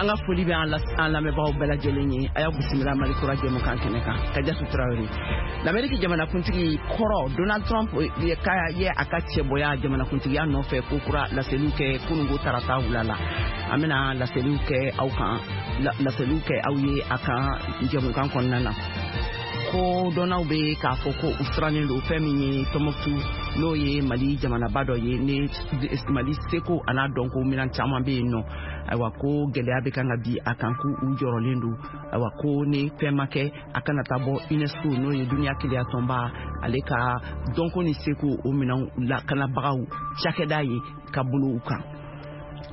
An ka foli bɛ an lamɛnbagaw bɛɛ lajɛlen ye. A y'aw bisimila Mali Kura jɛmukan kɛnɛ kan. Kajatu Tarawele, Lamɛriki jamanakuntigi kɔrɔ Donald Trump ye a ka cɛbɔya jamanakuntigiya nɔfɛ ko kura laseliw kɛ kununko tarata wula la. An bɛna laseliw kɛ aw kan, laseliw kɛ aw ye a kan jɛmukan kɔnɔna na. Ko dɔnnaw bɛ k'a fɔ ko u sirannen don fɛn min ye Tɔnbɔkutu, n'o ye Mali jamanaba dɔ ye, ni Mali seko an'a dɔnko minɛn caman bɛ yen nɔ. Ayiwa, ko gɛlɛya bɛ kan ka bi a kan, k'u u jɔrɔlen don. Ayiwa, ko ni fɛn ma kɛ, a kana taa bɔ UNESCO, n'o ye duniya kelenya tɔnba, ale ka dɔnko ni seko o minɛnw lakanabagaw cakɛda ye, ka bolo u kan.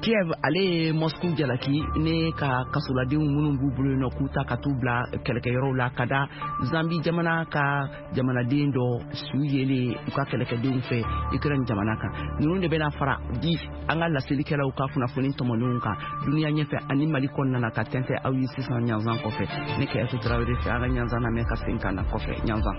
Kiev ale ye Moscou jalaki ne ka kasoladenw minnu b'u bolo yen nɔ, k'u ta ka t'u bila kɛlɛkɛyɔrɔw la, ka da Zambi jamana ka jamanaden dɔ su yelen u ka kɛlɛkɛdenw fɛ Ukraine jamana kan. Ninnu de bɛna fara di an ka laselikɛlaw ka kunnafoni tɔmɔnenw kan duniya ɲɛfɛ ani Mali kɔnɔna na, ka tɛntɛ aw ye sisan ɲanzan kɔfɛ. Ne Kajatu Tarawele fɛ, an ka ɲanzan lamɛn ka segin ka na kɔfɛ ɲanzan.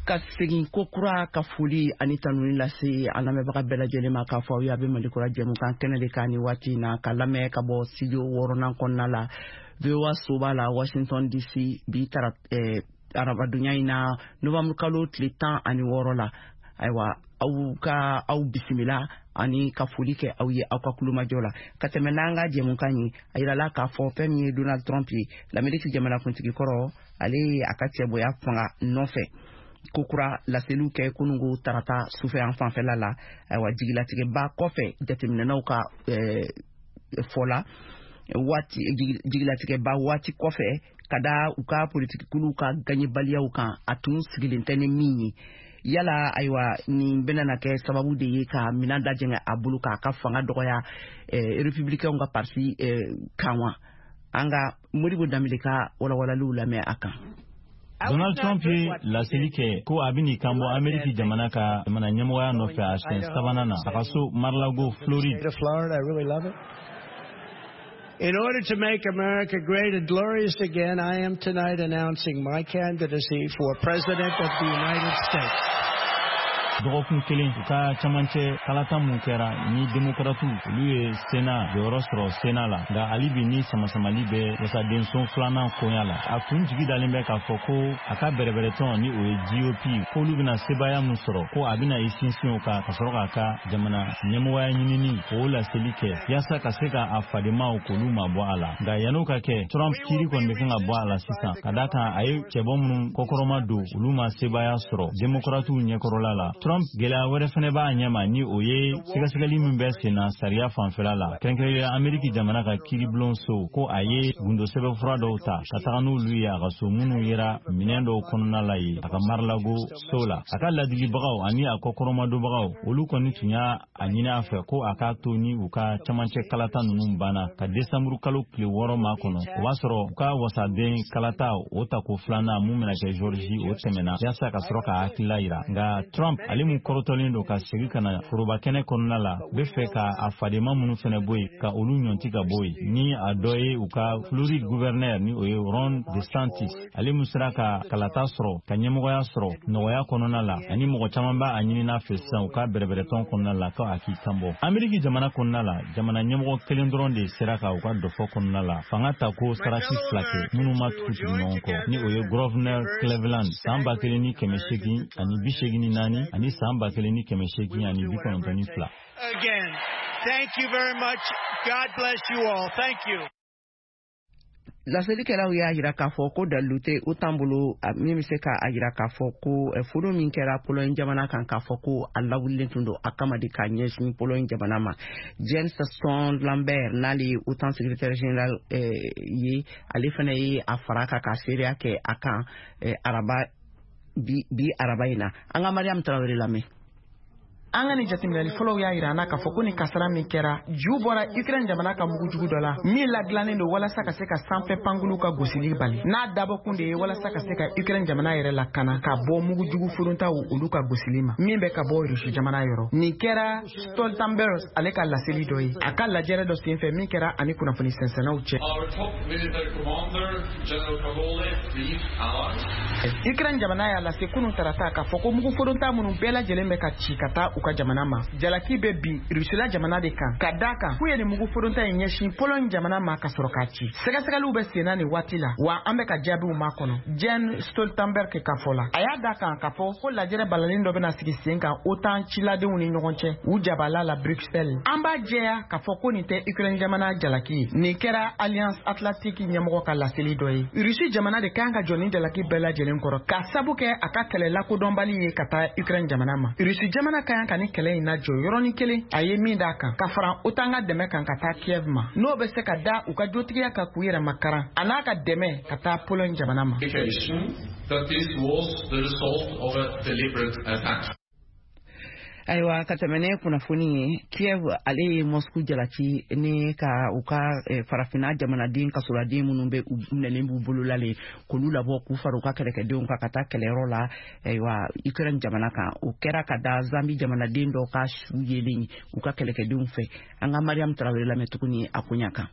Ka segin ko kura ka foli ani tanuni lase an lamɛnbaga bɛɛ lajɛlen ma, k'a fɔ aw ye a bɛ Mali Kura jɛmukan kɛnɛ de kan ni waati in na, ka lamɛn ka bɔ studio wɔɔrɔnan kɔnɔna la, VOA soba la, Washington DC, bi tara arabadonya in na, novembre kalo tile 16 la. Ayiwa, aw ka aw bisimila ani ka foli kɛ aw ye aw ka kulomajɔ la. Ka tɛmɛ n'an ka jɛmukan ye, a yirala k'a fɔ fɛn min ye Donald Trump ye, Lamɛriki jamanakuntigi kɔrɔ, ale ye a ka cɛbɔya fanga nɔfɛ ko kura laseliw kɛ kununko tarata sufɛ an fanfɛla la. Ayiwa, jigilatigɛba kɔfɛ, jateminɛnaw ka fɔ la, waati jigilatigɛba waati kɔfɛ, ka da u ka politikikuluw ka gaɲɛbaliyaw kan, a tun sigilen tɛ ni min ye. Yala, ayiwa, nin bɛna na kɛ sababu de ye ka minan dajɛngɛ a bolo, k'a ka fanga dɔgɔya Républicainw ka parti kan wa? An ka Modibo Danbele ka walawalaliw lamɛn a kan. Donald Trump ye laseli kɛ ko a bɛn'i kan bɔ Ameriki jamana ka jamana ɲɛmɔgɔya nɔfɛ a siɲɛ sabanan na, a ka so Mar-a-Lago, Floride. In order to make America great and glorious again, I am tonight announcing my candidacy for President of the United States. Dɔgɔkun kelen u ka camancɛ kalata mun kɛra ni Demokaratiw olu ye Sena jɔyɔrɔ sɔrɔ Sena la, nka hali bi ni samasamali bɛ wasadenso filanan koɲa la, a tun jigi dalen bɛ k'a fɔ ko a ka bɛrɛbɛrɛtɔn, ni o ye GOP, k'olu bɛna sebaaya mun sɔrɔ, ko a bɛna i sinsin o kan ka sɔrɔ k'a ka jamana ɲɛmɔgɔya ɲinini k'o laseli kɛ, yaasa ka se ka a fadenmaw k'olu mabɔ a la. Nka yann'o ka kɛ, Trump kiiri kɔni bɛ kan ka bɔ a la sisan, ka da kan a ye cɛbɔ minnu kɔkɔrɔma don, olu ma sebaaya sɔrɔ Demokaratiw ɲɛkɔrɔla la. Trump, gɛlɛya wɛrɛ fɛnɛ b'a ɲɛma, ni o ye sɛgɛsɛgɛli min bɛ sen na sariya fanfɛla la, kɛrɛnkɛrɛnnenya Ameriki jamana ka kiiribulon so, ko a ye gundo sɛbɛnfura dɔw ta ka taga n'olu ye a ka so, minnu yera minɛn dɔw kɔnɔna la ye a ka Mar-a-Lago so la. A ka ladilibagaw ani a kɔkɔrɔmadonbagaw, olu kɔni tun y'a a ɲini a fɛ ko a k'a to ni u ka camancɛ kalata ninnu banna ka desanburu kalo tile 6 ma kɔnɔ, o b'a sɔrɔ u ka wasaden kalata o tako filanan mun bɛna kɛ Georgie, o tɛmɛna, yaasa ka sɔrɔ ka hakilila yira. Nka Trump, ale mun kɔrɔtɔlen don ka segin ka na foroba kɛnɛ kɔnɔna la, bɛ fɛ ka a fadenma minnu fɛnɛ bɔ yen, ka olu ɲɔnti ka bɔ yen, ni a dɔ ye u ka Floride gouverneur, ni o ye Ron DeSantis, ale mun sera ka kalata sɔrɔ, ka ɲɛmɔgɔya sɔrɔ nɔgɔya kɔnɔna la, ani mɔgɔ caman b'a a ɲinina fɛ sisan u ka bɛrɛbɛrɛtɔn kɔnɔna la ko a k'i kanbɔ. Ameriki jamana kɔnɔna la, jamana ɲɛmɔgɔ kelen dɔrɔn de sera ka u ka dɔfɔ kɔnɔna la fanga ta ko sarati fila kɛ minnu ma tugu tugu ɲɔgɔn kɔ, ni o ye Grover Cleveland san 1884 ani san 1892. Again, thank you very much. God bless you all. Thank you. Laselikɛlaw y'a yira k'a fɔ ko dalilu tɛ OTAN bolo min bɛ se k'a yira k'a fɔ ko foro min kɛra Pologne jamana kan, k'a fɔ ko a lawulilen tun don a kama de k'a ɲɛsin Pologne jamana ma. Jens Stoltenberg, n'ale ye OTAN secrétaire général ye, ale fana ye a fara kan ka seereya kɛ a kan araba bi, bi araba in na. An ka Mariam Tarawele lamɛn. An ka nin jateminɛli fɔlɔw y'a yira an na k'a fɔ ko nin kasara min kɛra, ju bɔra Ukraine jamana ka mugujugu dɔ la min ladilannen don walasa ka se ka sanfɛ pankuluw ka gosili bali, n'a dabɔkun de ye walasa ka se ka Ukraine jamana yɛrɛ lakana ka bɔ mugujugu forontaw olu ka gosili ma min bɛ ka bɔ Rusi jamana yɔrɔ. Nin kɛra Stoltenberg ale ka laseli dɔ ye a ka lajɛrɛ dɔ senfɛ min kɛra ani kunnafoni sɛnsɛnnaw cɛ. Ukraine jamana y'a lase kunun tarata k'a fɔ ko mugu foronta minnu bɛɛ lajɛlen bɛ ka ci ka taa u ka jamana ma, jalaki bɛ bin Rusila jamana de kan, ka d'a kan k'u ye nin mugu foronta in ɲɛsin Pologne jamana ma ka sɔrɔ k'a ci. Sɛgɛsɛgɛliw bɛ senna nin waati la, wa an bɛ ka jaabiw makɔnɔ, Jens Stoltenberg ka fɔ la. A y'a d'a kan k'a fɔ ko lajɛrɛ balalen dɔ bɛna sigi sen kan OTAN ciladenw ni ɲɔgɔn cɛ u jabala la Bruxelles. An b'a jɛya k'a fɔ ko nin tɛ Ukraine jamana jalaki ye. Nin kɛra Alliance Atlantique ɲɛmɔgɔ ka laseli dɔ ye. Russie jamana de kan ka jɔ ni jalaki bɛɛ lajɛlen kɔrɔ, k'a sabu kɛ a ka kɛlɛ lakodɔnbali ye ka taa Ukraine jamana ma. Russie jamana ka kan ka ni kɛlɛ in lajɔ yɔrɔnin kelen, a ye min d'a kan ka fara OTAN ka dɛmɛ kan ka taa Kiev ma, n'o bɛ se ka da u ka jotigiya kan k'u yɛrɛ makaran a n'a ka dɛmɛ ka taa Pologne jamana ma. Ayiwa, ka tɛmɛ ne kunnafoni ye, Kiev ale ye Moscou jalaki ni ka u ka farafinna jamanaden kasoladen minnu bɛ u minɛlen b'u bolo la le, k'olu labɔ k'u fara u ka kɛlɛkɛdenw kan ka taa kɛlɛyɔrɔ la, ayiwa, Ukraine jamana kan. O kɛra ka da Zambi jamanaden dɔ ka su yelen u ka kɛlɛkɛdenw fɛ. An ka Mariam Traoré lamɛn tuguni a koɲa kan.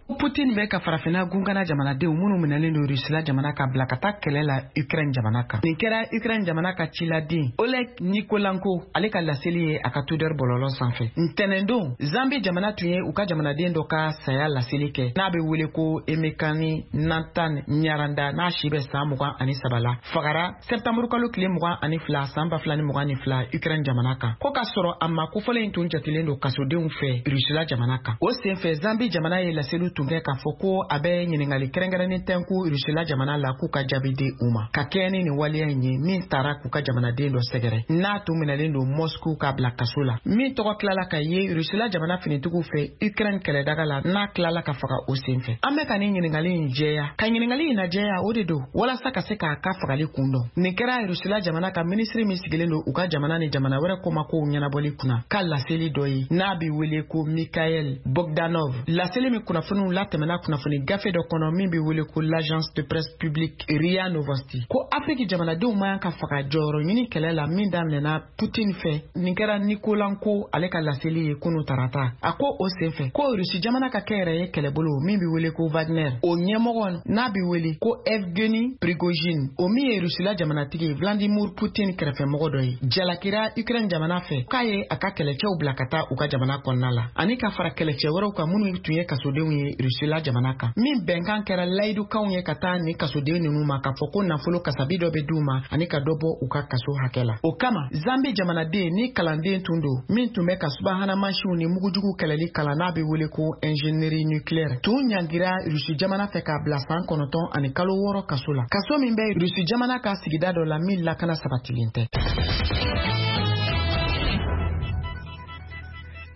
Putin bɛ ka farafinna gungana jamanadenw minnu minɛlen don Rusila jamana ka bila ka taa kɛlɛ la Ukraine jamana kan. Nin kɛra Ukraine jamana ka ciladen Oleg Nikolenko ale ka laseli ye a ka Twitter bɔlɔlɔ sanfɛ. Ntɛnɛndon, Zambi jamana tun ye u ka jamanaden dɔ ka saya laseli kɛ n'a bɛ wele ko Emekani Nathan Nyaranda, n'a si bɛ san 23 la, fagara septembre kalo tile 22 san 2022 Ukraine jamana kan. Ko k'a sɔrɔ a ma kofɔlen in tun jatelen don kasodenw fɛ Rusila jamana kan. O senfɛ, Zambi jamana ye laseli tun kɛ k'a fɔ ko a bɛ ɲininkali kɛrɛnkɛrɛnnen tɛnku Rusila jamana la k'u ka jaabi di u ma, ka kɛɲɛ ni nin waleya in ye min taara k'u ka jamanaden dɔ sɛgɛrɛ n'a tun minɛlen don Moscou k'a bila kaso la, min tɔgɔ tilala ka ye Rusila jamana finitigiw fɛ Ukraine kɛlɛdaga la, n'a tilala ka faga o senfɛ. An bɛ ka nin ɲininkali in jɛya, ka ɲininkali in lajɛya o de don walasa ka se k'a ka fagali kun dɔn. Nin kɛra Rusila jamana ka minisiri min sigilen don u ka jamana ni jamana wɛrɛ komakow ɲɛnabɔli kunna ka laseli dɔ ye n'a bɛ wele ko Mikhail Bogdanov, laseli min kunnafoniw latɛmɛna kunnafoni gafe dɔ kɔnɔ min bɛ wele ko l'agence de presse publique RIA Novosti, ko Afrique jamanadenw man kan ka faga jɔyɔrɔ ɲini kɛlɛ la min daminɛna Putin fɛ. Nin kɛra Nikolenko ale ka laseli ye kunu tarata. A ko o senfɛ ko Rusi jamana ka kɛnyɛrɛye kɛlɛbolo min bɛ wele ko Wagner, o ɲɛmɔgɔ n'a bɛ wele ko Evgeny Prigojine, o min ye Rusila jamanatigi Vladimir Putin kɛrɛfɛmɔgɔ dɔ ye, jalakira Ukraine jamana fɛ k'a ye a ka kɛlɛcɛw bila ka taa u ka jamana kɔnɔna la, ani ka fara kɛlɛcɛ wɛrɛw kan minnu tun ye kasodenw ye Rusila jamana kan, min bɛnkan kɛra layidukanw ye ka taa nin kasoden ninnu ma k'a fɔ ko nafolo kasabi dɔ bɛ d'u ma ani ka dɔ bɔ u ka kaso hakɛ la. O kama, Zambi jamanaden ni kalanden tun don min tun bɛ ka subahana mansinw ni mugujugu kɛlɛli kalan n'a bɛ wele ko ingénierie nucléaire, tun ɲangira Rusi jamana fɛ k'a bila san 9 ani kalo 6 kaso la, kaso min bɛ Rusi jamana ka sigida dɔ la min lakana sabatilen tɛ.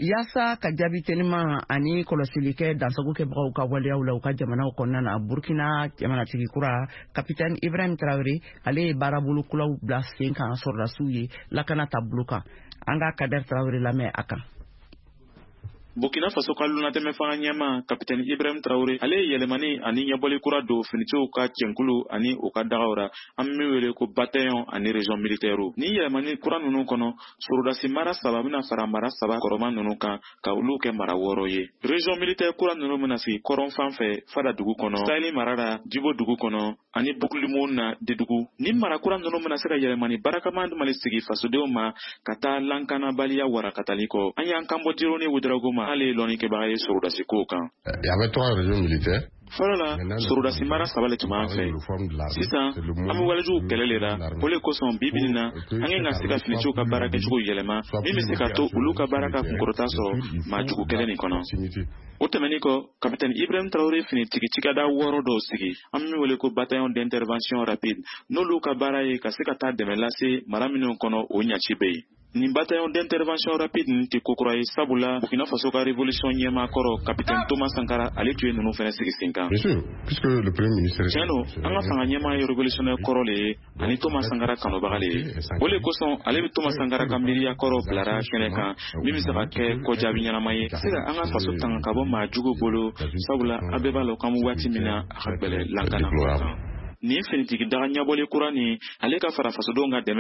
Yaasa ka jaabi teliman ani kɔlɔsili kɛ dansago kɛbagaw ka waleyaw la u ka jamanaw kɔnɔna na, Burkina jamanatigi kura Capitaine Ibrahim Traoré ale ye baarabolo kuraw bila sen kan sɔrɔdasiw ye lakana taabolo kan. An ka Kader Traoré lamɛn a kan. Burkina Faso ka lunatɛmɛ fanga ɲɛma Capitaine Ibrahim Traoré ale ye yɛlɛmani ani ɲɛbɔli kura don finitigiw ka cɛnkulu ani u ka dagaw ra, an bɛ min wele ko bataillon ani région militaire. Ni yɛlɛmani kura ninnu kɔnɔ, sorodasi mara 3 bɛna fara mara 3 kɔrɔma ninnu kan ka olu kɛ mara 6 ye. Région militaire kura ninnu bɛna sigi kɔrɔn fan fɛ Fada dugu kɔnɔ, Sahel mara la Jibo dugu kɔnɔ ani Bukulimu na Dedugu. Ni mara kura ninnu bɛna se ka yɛlɛmani barakama mali sigi fasodenw ma ka taa lankanabaliya warakatali kɔ. An y'an kanbɔ Dironi Ouédraogo ma, ale ye lɔnnikɛbaga ye sorodasi kow kan. Il y avait 3 régions militaires. Fɔlɔ la, sorodasi mara 3 le tun b'an fɛ. Sisan, an bɛ walejugu kɛlɛ le la. O le kosɔn bi bi in na, an kan ka se ka finitigiw ka baara kɛcogo yɛlɛma min bɛ se ka to olu ka baara ka kunkɔrɔta sɔrɔ maa jugu kɛlɛ nin kɔnɔ. O tɛmɛnen kɔ, Capitaine Ibrahim Traoré finitigi cikɛda 6 dɔw sigi, an bɛ min wele ko bataillon d'intervention rapide, n'olu ka baara ye ka se ka taa dɛmɛ lase mara minnu kɔnɔ o ɲaci bɛ yen. Nin bataillon d'intervention rapide nin tɛ ko kura ye, sabula Burkina Faso ka révolution ɲɛmaa kɔrɔ, capitaine Thomas Sankara, ale tun ye ninnu fana sigi sen kan. Bien sûr, puisque le premier ministre. Tiɲɛ don, an ka fanga ɲɛmaa ye révolutionnaire kɔrɔ le ye ani Thomas Sankara kanubaga le ye. O le kosɔn ale bɛ Thomas Sankara ka miiriya kɔrɔ bilara kɛnɛ kan, min bɛ se ka kɛ kɔjaabi ɲɛnama ye, se ka an ka faso tanga ka bɔ maa jugu bolo, sabula an bɛɛ b'a lɔn k'an bɛ waati min na, a ka gbɛlɛ lankana ko kan. Nin finitigi daga ɲɛbɔli kura nin, ale ka fara fasodenw ka dɛmɛ.